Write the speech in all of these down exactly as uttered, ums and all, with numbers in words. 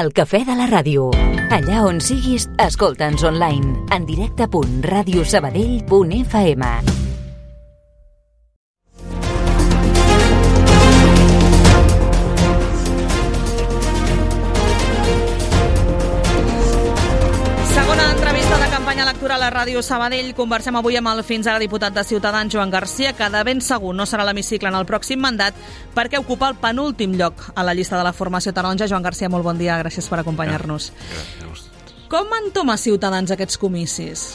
El cafè de la ràdio. Allà on siguis, escolta'ns online. En directe punt ràdio sabadell punt f m. A la Ràdio Sabadell conversem avui amb el fins ara diputat de Ciutadans Joan Garcia, que de ben segur no serà a l'hemicicle en el pròxim mandat perquè ocupa el penúltim lloc a la llista de la formació taronja. Joan Garcia, molt bon dia, gràcies per acompanyar-nos. Gràcies. Com entoma Ciutadans aquests comicis?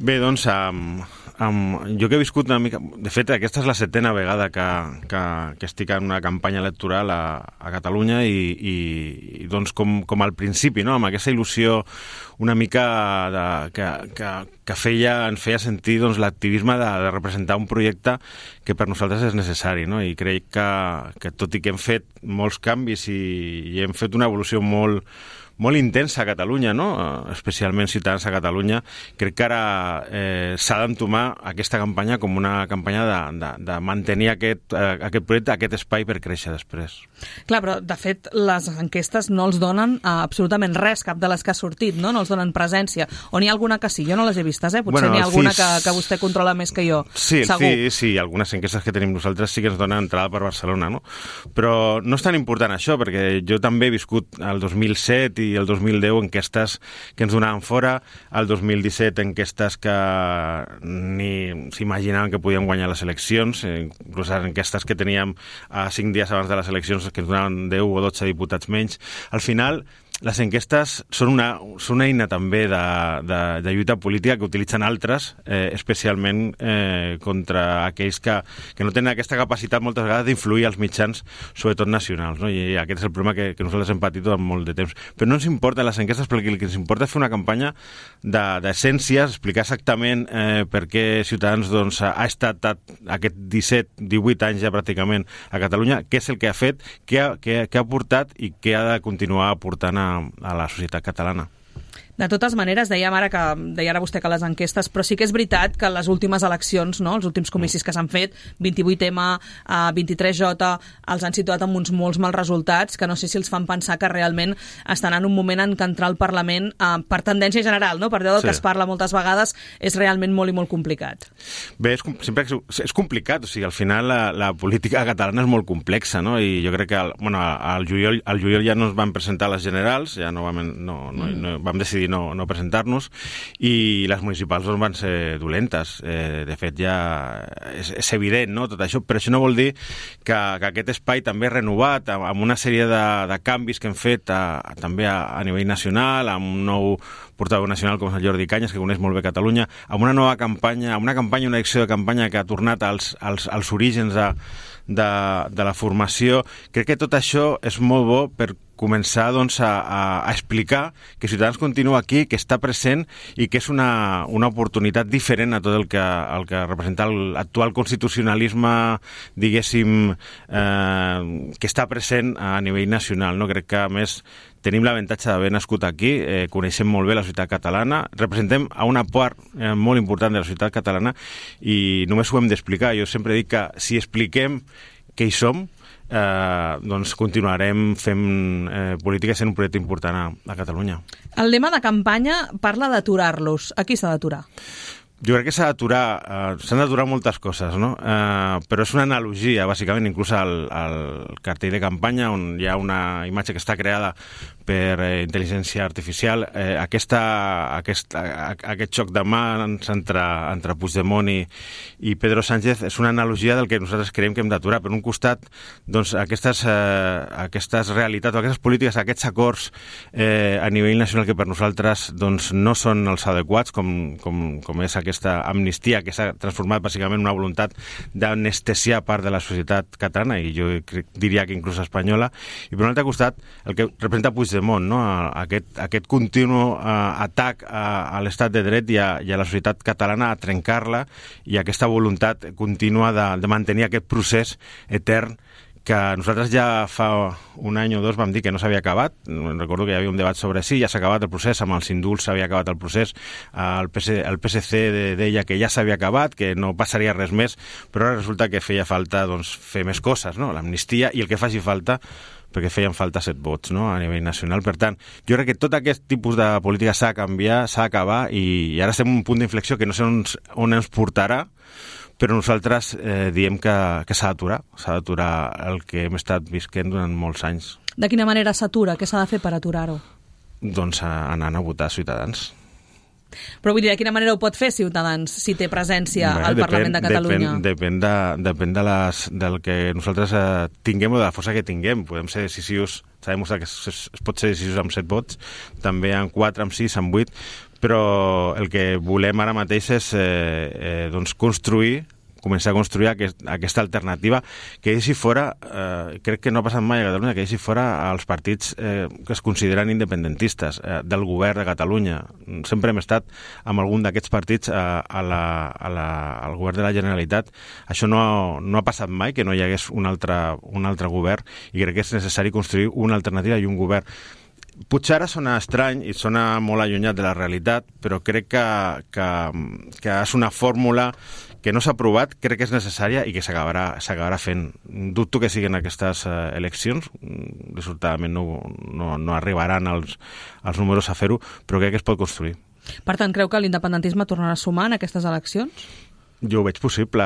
Bé, doncs, um, um, jo que he viscut una mica... De fet, aquesta és la setena vegada que, que, que estic en una campanya electoral a, a Catalunya i, i, i doncs com, com al principi, no? Amb aquesta il·lusió una mica de, que, que, que feia, ens feia sentir doncs, l'activisme de, de representar un projecte que per nosaltres és necessari, no? I crec que, que tot i que hem fet molts canvis i, i hem fet una evolució molt molt intensa a Catalunya, no? Especialment Ciutadans a Catalunya, crec que ara eh, s'ha d'entomar aquesta campanya com una campanya de, de, de mantenir aquest, eh, aquest projecte, aquest espai per créixer després. Clar, però de fet les enquestes no els donen eh, absolutament res, cap de les que ha sortit, no? No els donen presència. O n'hi ha alguna que sí? Jo no les he vistes, eh? Potser bueno, n'hi ha alguna C I S... que, que vostè controla més que jo. Sí, segur. Sí, sí, algunes enquestes que tenim nosaltres sí que ens donen entrada per Barcelona, no? Però no és tan important això, perquè jo també he viscut el dos mil set i el dos mil deu enquestes que ens donaven fora, el dos mil disset enquestes que ni s'imaginaven que podien guanyar les eleccions, inclús les enquestes que teníem a cinc dies abans de les eleccions que ens donaven deu o dotze diputats menys. Al final, les enquestes són una, són una eina també de, de, de lluita política que utilitzen altres, eh, especialment eh, contra aquells que, que no tenen aquesta capacitat moltes vegades d'influir als mitjans, sobretot nacionals, no? I aquest és el problema que, que nosaltres hem patit durant molt de temps. Però no ens importen les enquestes, perquè el que ens importa és fer una campanya d'essències, de, explicar exactament eh, per què Ciutadans doncs, ha estat aquest disset, divuit anys ja pràcticament a Catalunya, què és el que ha fet, què ha, què, què ha portat i què ha de continuar aportant a a la societat catalana. De totes maneres, dèiem ara que deia ara vostè que les enquestes, però sí que és veritat que les últimes eleccions, no, els últims comicis que s'han fet, vint-i-vuit ema, vint-i-tres jota, els han situat amb uns molts mals resultats, que no sé si els fan pensar que realment estan en un moment en què entrar al Parlament, eh, per tendència general, no, per allò del sí. que es parla moltes vegades, és realment molt i molt complicat. Bé, és, sempre és complicat, o sigui, al final la, la política catalana és molt complexa, no, i jo crec que al, bueno, al, juliol, al juliol ja no es van presentar les generals, ja no vam, no, no, no, vam decidir no, no presentar-nos, i les municipals doncs, van ser dolentes. Eh, de fet, ja és, és evident, no?, tot això, però això no vol dir que, que aquest espai també renovat, amb una sèrie de, de canvis que hem fet a, a, també a, a nivell nacional, amb un nou portaveu nacional com és el Jordi Cañas, que coneix molt bé Catalunya, amb una nova campanya, amb una campanya, una acció de campanya que ha tornat als, als, als orígens de, de, de la formació. Crec que tot això és molt bo per començar doncs, a, a explicar que Ciutadans continua aquí, que està present i que és una, una oportunitat diferent a tot el que, el que representa l'actual constitucionalisme, diguéssim, eh, que està present a nivell nacional. No? Crec que, a més, tenim l'avantatge d'haver nascut aquí, eh, coneixem molt bé la societat catalana, representem a una part eh, molt important de la societat catalana i només ho hem d'explicar. Jo sempre dic que si expliquem què hi som, Eh, doncs continuarem fent eh, política sent un projecte important a, a Catalunya. El lema de campanya parla d'aturar-los. A qui s'ha d'aturar? Jo crec que s'ha d'aturar, eh, s'han d'aturar moltes coses, no? Eh, però és una analogia, bàsicament, inclús al, al cartell de campanya, on hi ha una imatge que està creada per eh, intel·ligència artificial. Eh, aquesta, aquest, a, aquest xoc de mans entre, entre Puigdemont i, i Pedro Sánchez és una analogia del que nosaltres creiem que hem d'aturar. Per un costat, doncs, aquestes, eh, aquestes realitats, aquestes polítiques, aquests acords eh, a nivell nacional que per nosaltres doncs, no són els adequats, com, com, com és aquesta amnistia que s'ha transformat bàsicament en una voluntat d'anestesiar part de la societat catalana i jo crec, diria que inclús espanyola. I per un altre costat, el que representa Puigdemont, no? aquest, aquest continu uh, atac a, a l'estat de dret i a, i a la societat catalana a trencar-la i aquesta voluntat contínua de, de mantenir aquest procés etern que nosaltres ja fa un any o dos vam dir que no s'havia acabat. Recordo que hi havia un debat sobre si ja s'ha acabat el procés, amb els indults s'havia acabat el procés, el P S C, el P S C deia que ja s'havia acabat, que no passaria res més, però ara resulta que feia falta doncs, fer més coses, no? L'amnistia i el que faci falta perquè feien falta set vots, no?, a nivell nacional. Per tant, jo crec que tot aquest tipus de política s'ha de canviar, s'ha d'acabar, i, i ara estem en un punt d'inflexió que no sé on, on ens portarà, però nosaltres eh, diem que, que s'ha d'aturar, s'ha d'aturar el que hem estat visquent durant molts anys. De quina manera s'atura? Què s'ha de fer per aturar-ho? Doncs anant a votar Ciutadans. Però vull dir, de quina manera ho pot fer Ciutadans si té presència Bé, al depèn, Parlament de Catalunya? Depèn, depèn, de, depèn de les, del que nosaltres eh, tinguem o de la força que tinguem. Podem ser decisius, s'ha demostrat que es, es, es pot ser decisius amb set vots, també amb quatre, amb sis, amb vuit, però el que volem ara mateix és eh, eh, doncs construir començar a construir aquest, aquesta alternativa que deixi fora, eh, crec que no ha passat mai a Catalunya, que deixi fora els partits eh, que es consideren independentistes eh, del govern de Catalunya. Sempre hem estat amb algun d'aquests partits a, a la, a la, al govern de la Generalitat. Això no, no ha passat mai, que no hi hagués un altre, un altre govern, i crec que és necessari construir una alternativa i un govern. Potser ara sona estrany i sona molt allunyat de la realitat, però crec que, que, que és una fórmula que no s'ha aprovat, crec que és necessària i que s'acabarà s'acabarà fent. Dubto que siguin aquestes eh, eleccions, resultadament no, no, no arribaran els, els números a fer-ho, però crec que es pot construir. Per tant, creu que l'independentisme tornarà a sumar en aquestes eleccions? Jo ho veig possible,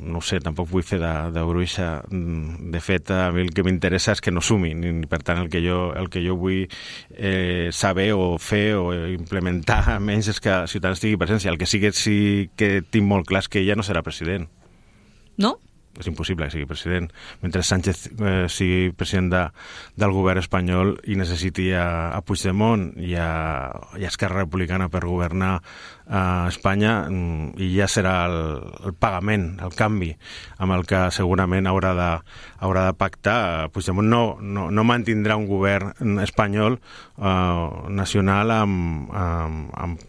no sé, tampoc vull fer de, de bruixa. De fet, a mi el que m'interessa és que no sumin, i per tant el que jo, el que jo vull eh, saber o fer o implementar menys és que Ciutadans tingui presència. El que sí que, sí que tinc molt clar és que ella no serà president. No? És impossible que sigui president. Mentre Sánchez eh, sigui president de, del govern espanyol i necessiti a, a Puigdemont i a, i a Esquerra Republicana per governar a Espanya, i ja serà el, el pagament, el canvi amb el que segurament haurà de, haurà de pactar. Puigdemont no, no, no mantindrà un govern espanyol eh, nacional amb, amb, amb,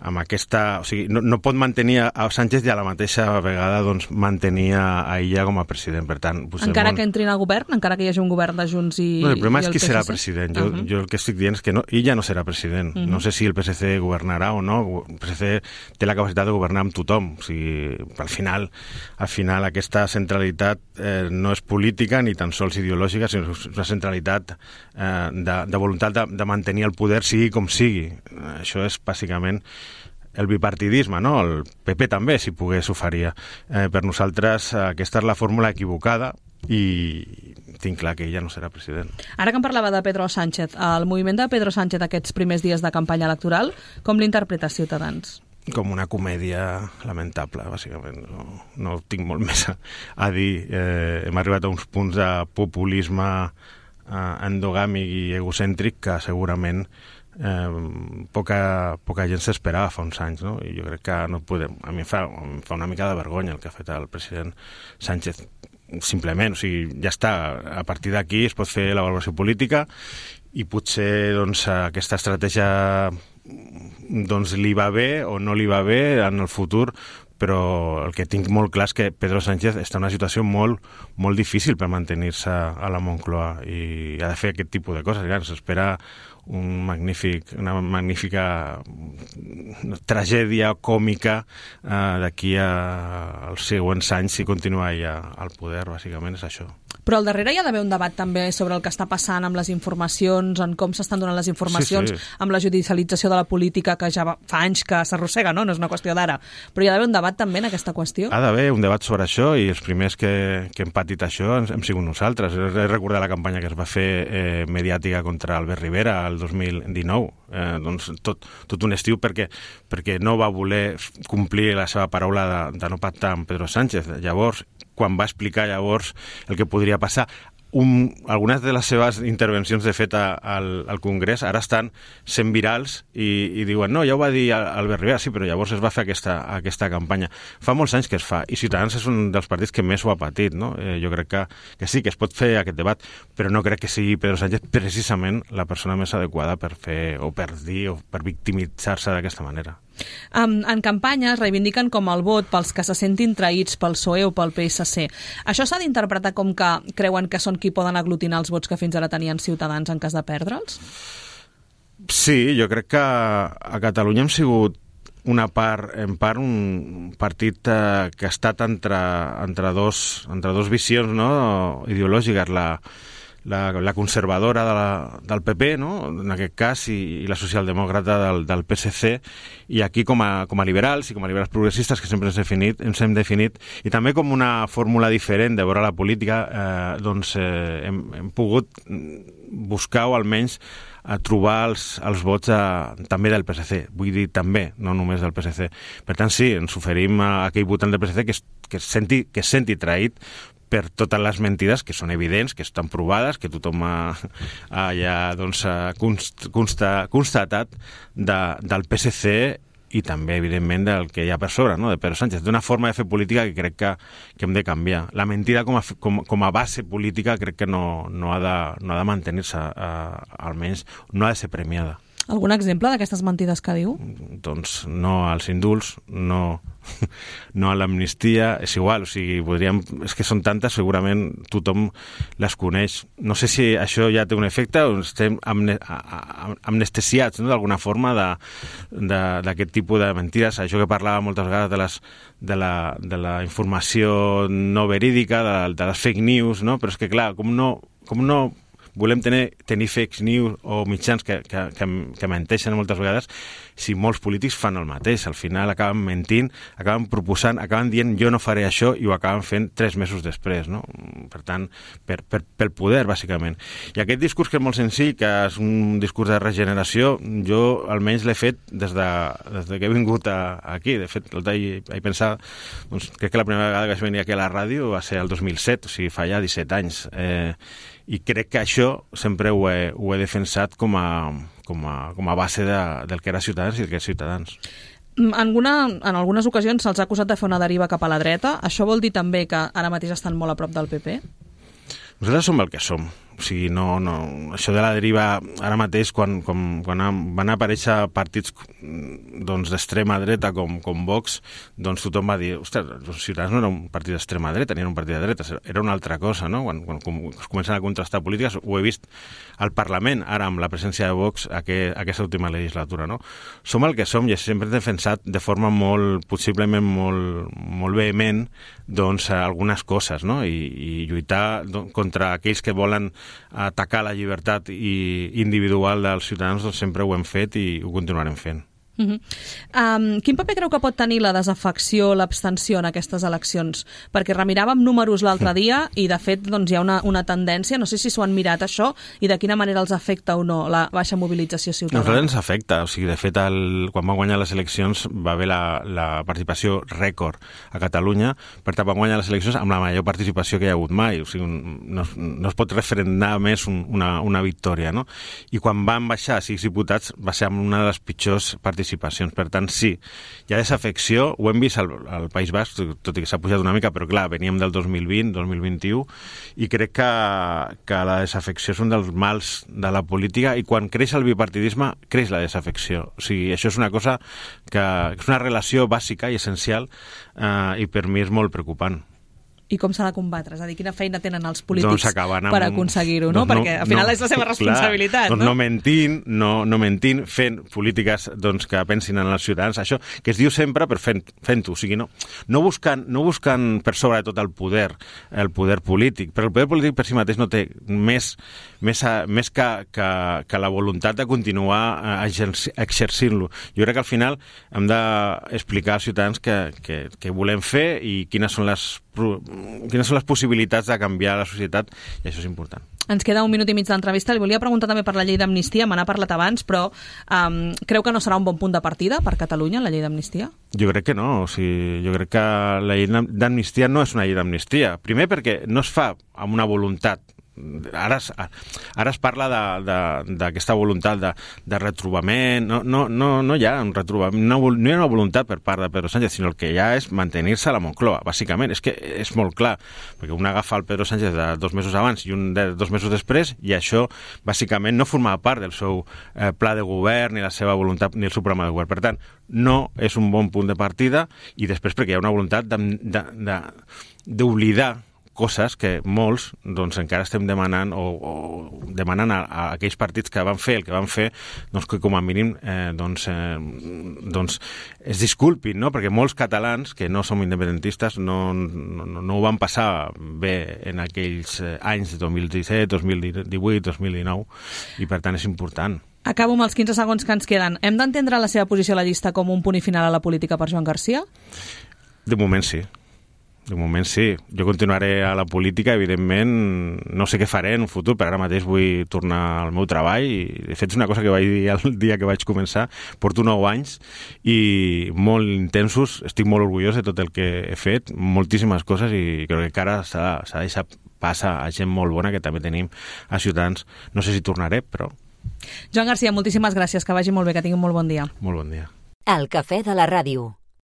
amb aquesta... O sigui, no, no pot mantenir a Sánchez i a la mateixa vegada doncs, mantenir a ella com a president. Per tant, Puigdemont... Encara que entrin al govern? Encara que hi hagi un govern de Junts i, no, el problema i el és qui P S C? serà president. Jo, uh-huh. jo el que estic dient és que no, ella no serà president. Uh-huh. No sé si el P S C governarà o no. El P S C té la capacitat de governar amb tothom. O sigui, al final, al final aquesta centralitat eh, no és política ni tan sols ideològica, sinó una centralitat eh, de, de voluntat de, de mantenir el poder sigui com sigui. Això és bàsicament el bipartidisme, no? El P P també, si pogués, ho faria. Eh, per nosaltres aquesta és la fórmula equivocada i tinc clar que ella no serà president. Ara que em parlava de Pedro Sánchez, el moviment de Pedro Sánchez aquests primers dies de campanya electoral, com l'interpreta Ciutadans? Com una comèdia lamentable, bàsicament. No, no tinc molt més a, a dir. Eh, hem arribat a uns punts de populisme eh, endogàmic i egocèntric que segurament eh, poca, poca gent s'esperava fa uns anys, no? I jo crec que no podem... A mi em fa, em fa una mica de vergonya el que ha fet el president Sánchez. Simplement, o sigui, ja està. A partir d'aquí es pot fer la valoració política i potser doncs, aquesta estratègia doncs, li va bé o no li va bé en el futur, però el que tinc molt clar és que Pedro Sánchez està en una situació molt, molt difícil per mantenir-se a la Moncloa i ha de fer aquest tipus de coses. S'espera un magnífic, una magnífica tragèdia còmica eh, d'aquí a, als següents anys si continua allà al poder, bàsicament és això. Però al darrere hi ha d'haver un debat també sobre el que està passant amb les informacions, en com s'estan donant les informacions, sí, sí. amb la judicialització de la política que ja va, fa anys que s'arrossega, no? No és una qüestió d'ara. Però hi ha d'haver un debat també en aquesta qüestió? Ha d'haver un debat sobre això i els primers que, que hem patit això hem sigut nosaltres. He recordat la campanya que es va fer eh, mediàtica contra Albert Rivera el dos mil dinou. Eh, doncs tot, tot un estiu perquè, perquè no va voler complir la seva paraula de, de no pactar amb Pedro Sánchez. Llavors, quan va explicar llavors el que podria passar, un, algunes de les seves intervencions de fet al, al Congrés ara estan sent virals i, i diuen, no, ja ho va dir Albert Rivera, sí, però llavors es va fer aquesta, aquesta campanya. Fa molts anys que es fa, i Ciutadans és un dels partits que més ho ha patit, no? Eh, jo crec que, que sí, que es pot fer aquest debat, però no crec que sigui Pedro Sánchez precisament la persona més adequada per fer, o per dir, o per victimitzar-se d'aquesta manera. Um, en campanya es reivindiquen com el vot pels que se sentin traïts pel P S O E o pel P S C. Això s'ha d'interpretar com que creuen que són qui poden aglutinar els vots que fins ara tenien Ciutadans en cas de perdre'ls? Sí, jo crec que a Catalunya hem sigut una part, en part un partit eh, que ha estat entre, entre, dos, entre dos visions, no? ideològiques, la, la, la conservadora de la, del P P, no? En aquest cas, i, i la socialdemòcrata del, del P S C, i aquí com a, com a liberals i com a liberals progressistes que sempre ens, definit, ens hem definit, i també com una fórmula diferent de veure la política, eh, doncs eh, hem, hem pogut buscar o almenys a trobar els, els vots a, també del P S C, vull dir també, no només del P S C. Per tant, sí, ens oferim a aquell votant del P S C que es, que es, senti, que es senti traït per totes les mentides que són evidents, que estan provades, que tothom ha, ha ja doncs, ha const, consta, constatat de, del P S C i també, evidentment, del que hi ha per sobre, no? De Pedro Sánchez. D'una forma de fer política que crec que, que hem de canviar. La mentida com a, com, com a base política crec que no, no ha de, no ha de mantenir-se, eh, almenys no ha de ser premiada. Algun exemple d'aquestes mentides que diu? Doncs no als indults, no, no a l'amnistia, és igual, o sigui, podríem, és que són tantes, segurament tothom les coneix. No sé si això ja té un efecte o estem amne, amnestesiats, no?, d'alguna forma d'aquest tipus de mentides, això que parlava moltes vegades de, les, de, la, de la informació no verídica, de, de les fake news, no? Però és que clar, com no, com no volem tenir, tenir fake news o mitjans que, que, que, que menteixen moltes vegades, si molts polítics fan el mateix. Al final acaben mentint, acaben proposant, acaben dient jo no faré això i ho acaben fent tres mesos després, no? Per tant, per, per, pel poder, bàsicament. I aquest discurs que és molt senzill, que és un discurs de regeneració, jo almenys l'he fet des de, des de que he vingut a, aquí. De fet, he, he pensat, doncs, crec que la primera vegada que vaig venir aquí a la ràdio va ser el dos mil set, o sigui, fa ja disset anys. Eh, I crec que això sempre ho he, ho he defensat com a, com a, com a base de, del que era Ciutadans i del que és Ciutadans. En, alguna, en algunes ocasions se'ls ha acusat de fer una deriva cap a la dreta. Això vol dir també que ara mateix estan molt a prop del P P? Nosaltres som el que som. O sigui, no, no, això de la deriva, ara mateix, quan, quan, quan van aparèixer partits doncs, d'extrema dreta com, com Vox, doncs tothom va dir, ostres, els Ciutadans no era un partit d'extrema dreta, ni era un partit de dreta, era una altra cosa, no? Quan, quan, quan es comencen a contrastar polítiques, ho he vist al Parlament, ara amb la presència de Vox, aquest, aquesta última legislatura, no? Som el que som i sempre hem defensat de forma molt, possiblement molt, molt vehement, doncs, algunes coses, no? I, i lluitar doncs, contra aquells que volen atacar la llibertat i individual dels ciutadans, doncs sempre ho hem fet i ho continuarem fent. Uh-huh. Um, quin paper creu que pot tenir la desafecció, l'abstenció en aquestes eleccions? Perquè remiràvem números l'altre dia i de fet doncs, hi ha una, una tendència, no sé si s'ho han mirat això i de quina manera els afecta o no la baixa mobilització ciutadana. Nosaltres ens afecta, o sigui, de fet el, quan van guanyar les eleccions va haver la, la participació rècord a Catalunya, per tant van guanyar les eleccions amb la major participació que hi ha hagut mai, o sigui, un, no, no es pot referendar més un, una, una victòria, no? I quan van baixar sis diputats va ser una de les pitjors participacions. Per tant, sí, hi ha desafecció, ho hem vist al, al País Basc, tot i que s'ha pujat una mica, però clar, veníem del dos mil vint, dos mil vint-i-u, i crec que, que la desafecció és un dels mals de la política, i quan creix el bipartidisme, creix la desafecció. O sigui, això és una cosa que, que és una relació bàsica i essencial, eh, i per mi és molt preocupant. I com s'ha de combatre? És a dir, quina feina tenen els polítics doncs per aconseguir-ho, no? Doncs no? Perquè al final no, és la seva responsabilitat, clar, doncs no? No mentint, no, no mentint, fent polítiques doncs, que pensin en els ciutadans. Això que es diu sempre, però fent, fent-ho. O sigui, no, no, buscant, no buscant per sobre de tot el poder, el poder polític, però el poder polític per si mateix no té més, més, més que, que, que la voluntat de continuar exercint-lo. Jo crec que al final hem d'explicar als ciutadans què que, que volem fer i quines són les quines són les possibilitats de canviar la societat, i això és important. Ens queda un minut i mig d'entrevista. Li volia preguntar també per la llei d'amnistia, me n'ha parlat abans, però um, creu que no serà un bon punt de partida per Catalunya, la llei d'amnistia? Jo crec que no. O sigui, jo crec que la llei d'amnistia no és una llei d'amnistia. Primer perquè no es fa amb una voluntat. Ara es, ara es parla d'aquesta voluntat de, de retrobament. No, no, no, no hi ha un retrobament, no, no hi ha una voluntat per part de Pedro Sánchez, sinó el que hi ha és mantenir-se a la Moncloa, bàsicament. És que és molt clar, perquè un agafa el Pedro Sánchez de dos mesos abans i un de dos mesos després, i això bàsicament no formava part del seu eh, pla de govern, ni la seva voluntat, ni el seu programa de govern. Per tant, no és un bon punt de partida, i després perquè hi ha una voluntat d'oblidar coses que molts doncs, encara estem demanant o, o demanant a, a aquells partits que van fer el que van fer, doncs que com a mínim eh, doncs, eh, doncs es disculpin, no? Perquè molts catalans que no som independentistes no, no, no ho van passar bé en aquells anys de dos mil disset, dos mil divuit, dos mil dinou, i per tant és important. Acabo amb els quinze segons que ens queden. Hem d'entendre la seva posició a la llista com un punt i final a la política per Joan Garcia? De moment sí. De moment sí. Jo continuaré a la política, evidentment, no sé què faré en un futur, però ara mateix vull tornar al meu treball i, de fet, és una cosa que vaig dir el dia que vaig començar. Porto nou anys i molt intensos, estic molt orgullós de tot el que he fet, moltíssimes coses, i crec que encara s'ha de deixar passar a gent molt bona que també tenim a Ciutadans. No sé si tornaré, però... Joan Garcia, moltíssimes gràcies, que vagi molt bé, que tingui un molt bon dia. Molt bon dia. El cafè de la ràdio.